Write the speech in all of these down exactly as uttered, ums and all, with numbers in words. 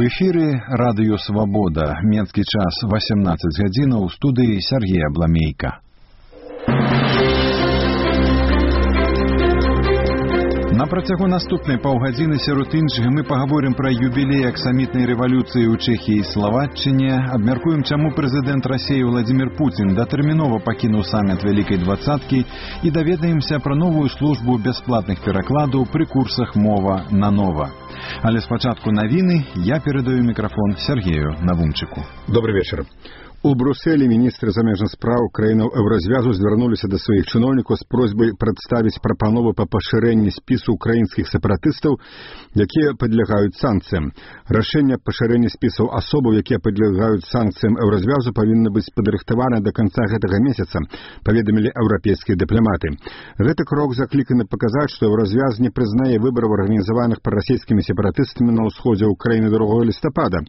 эфіры радыё «Свабода». Менскі час васямнаццаць гадзінаў, у студыі Сергей Абламейка. На працягу наступнай паўгадзіны сярод іншага мы пагаворым пра юбілей аксамітнай рэвалюцыі ў Чэхіі і Славаччыне, абмяркуем, чаму прэзідэнт Расіі Владзімір Пуцін датэрмінова пакінуў саміт Вялікай дваццаткі і даведаемся пра новую службу бясплатных перакладаў пры курсах «Мова на нова». Але спачатку навіны я перадаю мікрафон Сергею Навумчыку. Добрый вечер. У Брюсселі міністры замежных спраў краінаў еўразвязу звярнуліся да сваіх чыноўнікаў з просьбай прадставіць прапановы па пашырэнні спісу украінскіх сепаратыстаў, якія падлягаюць санкцыям. Рашэнне пашырэння спісаў асобаў, якія падлягаюць санкцыям еўразвязу, павінна быць падрыхтавана да канца гэтага месяца, паведамілі еўрапейскія дыпламаты. Гэты крок закліканы паказаць, што еўразвяз не прызнае выбараў, арганізаваных прарасійскімі сепаратыстамі на ўсходзе ўкраіны другога лістапада.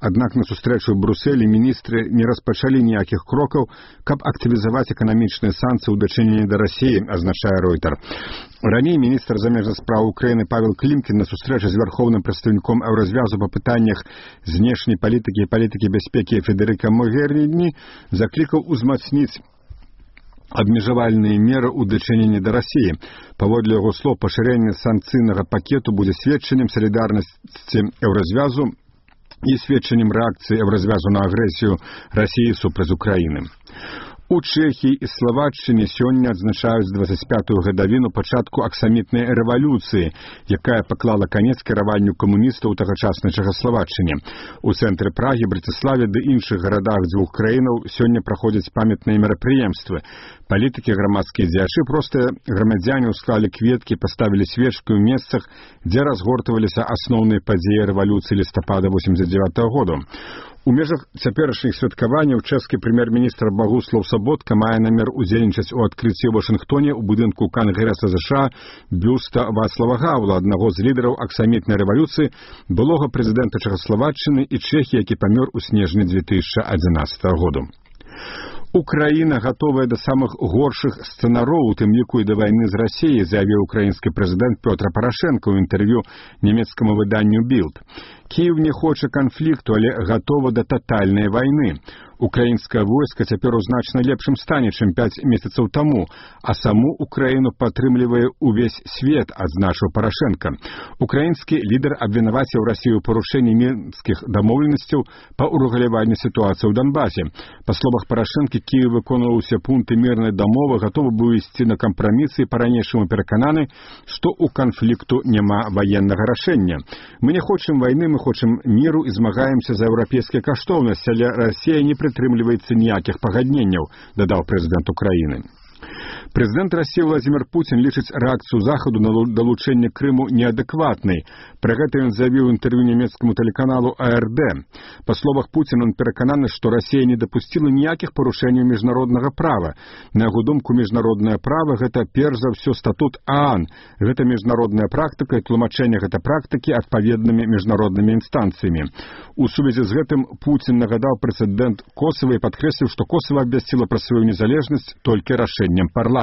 Аднак на сустрэчу ў Брюсселі міністры не распачалі ніякіх крокаў, каб актывізаваць эканамічныя санкцыі ў дачыненні да Расіі, азначае Ройтер. Раней міністр замежных спраў Украіны Павел Клімкін на сустрэчы з вярхоўным прадстаўніком еўразвязу па пытаннях знешняй палітыкі і палітыкі бяспекі Федэрыка Могеріні заклікаў узмацніць абмежавальныя меры ў дачыненні да Расіі. Паводле яго слоў, пашырэнне санкцыйнага пакету будзе сведчаннем салідарнасці еўразвязу і сведчаннем рэакцыі еўразвязу на агрэсію Расіі супраць Украіны. У Чэхіі і Славаччыне сёння адзначаюць дваццаць пятую гадавіну пачатку аксамітнай рэвалюцыі, якая паклала канец кіраванню камуністаў у тагачаснай Чэхаславаччыне. У цэнтры Прагі, Браціславе ды іншых гарадах дзвюх краінаў сёння праходзяць памятныя мерапрыемствы. Палітыкі, грамадскія дзеячы, простыя грамадзяне ўсклалі кветкі, паставілі свечкі ў месцах, дзе разгортваліся асноўныя падзеі рэвалюцыі лістапада восемьдесят девятого году. У межах цяперашніх святкаванняў чэшскі прэм'ер-міністр Багуслаў Саботка мае намер удзельнічаць у адкрыцці ў Вашынгтоне ў будынку Кангрэса ЗША бюста Вацлава Гаўла, аднаго з лідараў аксамітнай рэвалюцыі, былога прэзідэнта Чэхаславаччыны і Чэхіі, які памёр у снежні две тысячи одиннадцатого году. Украіна гатовая да самых горшых сцэнароў, у тым ліку і да вайны з Расіяй, заявіў украінскі прэзідэнт Пётр Парашенко ў інтэрв'ю нямецкаму выданню «Білд». Кіев не хоча канфлікту, але гатова да татальнай вайны. Украінскае войска цяпер у значна лепшым стане, чым пяць месяцаў таму, а саму Украіну падтрымлівае ўвесь свет, адзначыў Парашенко. Украінскі лідар абвінаваціў Расію ў парушэнні мінскіх дамоўленасцяў па ўрэгуляванні сітуацыі ў Донбасе. Па словах Парашенко, Кіев выконваў усе пункты мірнай дамовы, гатовы быў ісці на кампрамісы і па-ранейшаму перакананы, што ў канфлікту няма ваеннага рашэння. Мы не хочам вайны, мы хочам міру і змагаемся за еўрапейскія каштоўнасці, але Расія не прытрымліваецца ніякіх пагадненняў, дадаў прэзідэнт Украіны. Прэзідэнт Расіі Владзімір Пуцін лічыць рэакцыю Захаду на далучэнне Крыму неадэкватнай. Пра гэта ён заявіў у інтэрв'ю нямецкаму тэлеканалу А Р Д. Па словах Пуціна, ён перакананы, што Расія не дапусціла ніякіх парушэнняў міжнароднага права. На яго думку, міжнароднае права – гэта перш за ўсё статут А Н. Гэта міжнародная практыка і тлумачэнне гэтай практыкі адпаведнымі міжнароднымі інстанцыямі. У сувязі з гэтым Пуцін нагадаў прэзідэнт Косава і падкрэсліў, што Косава абвясціла пра сваю незалежнасць толькі рашэннем парламента.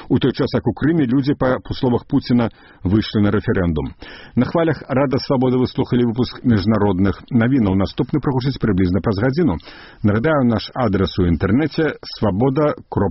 У той час, як у Крыме, людзі, па словах Пуціна, выйшлі на рэферэндум. На хвалях Рада Свабоды выслухалі выпуск міжнародных навінаў. Наступны прагучыць прыблізна праз гадзіну. Нагадаю, наш адрес у інтэрнэце свабода кропка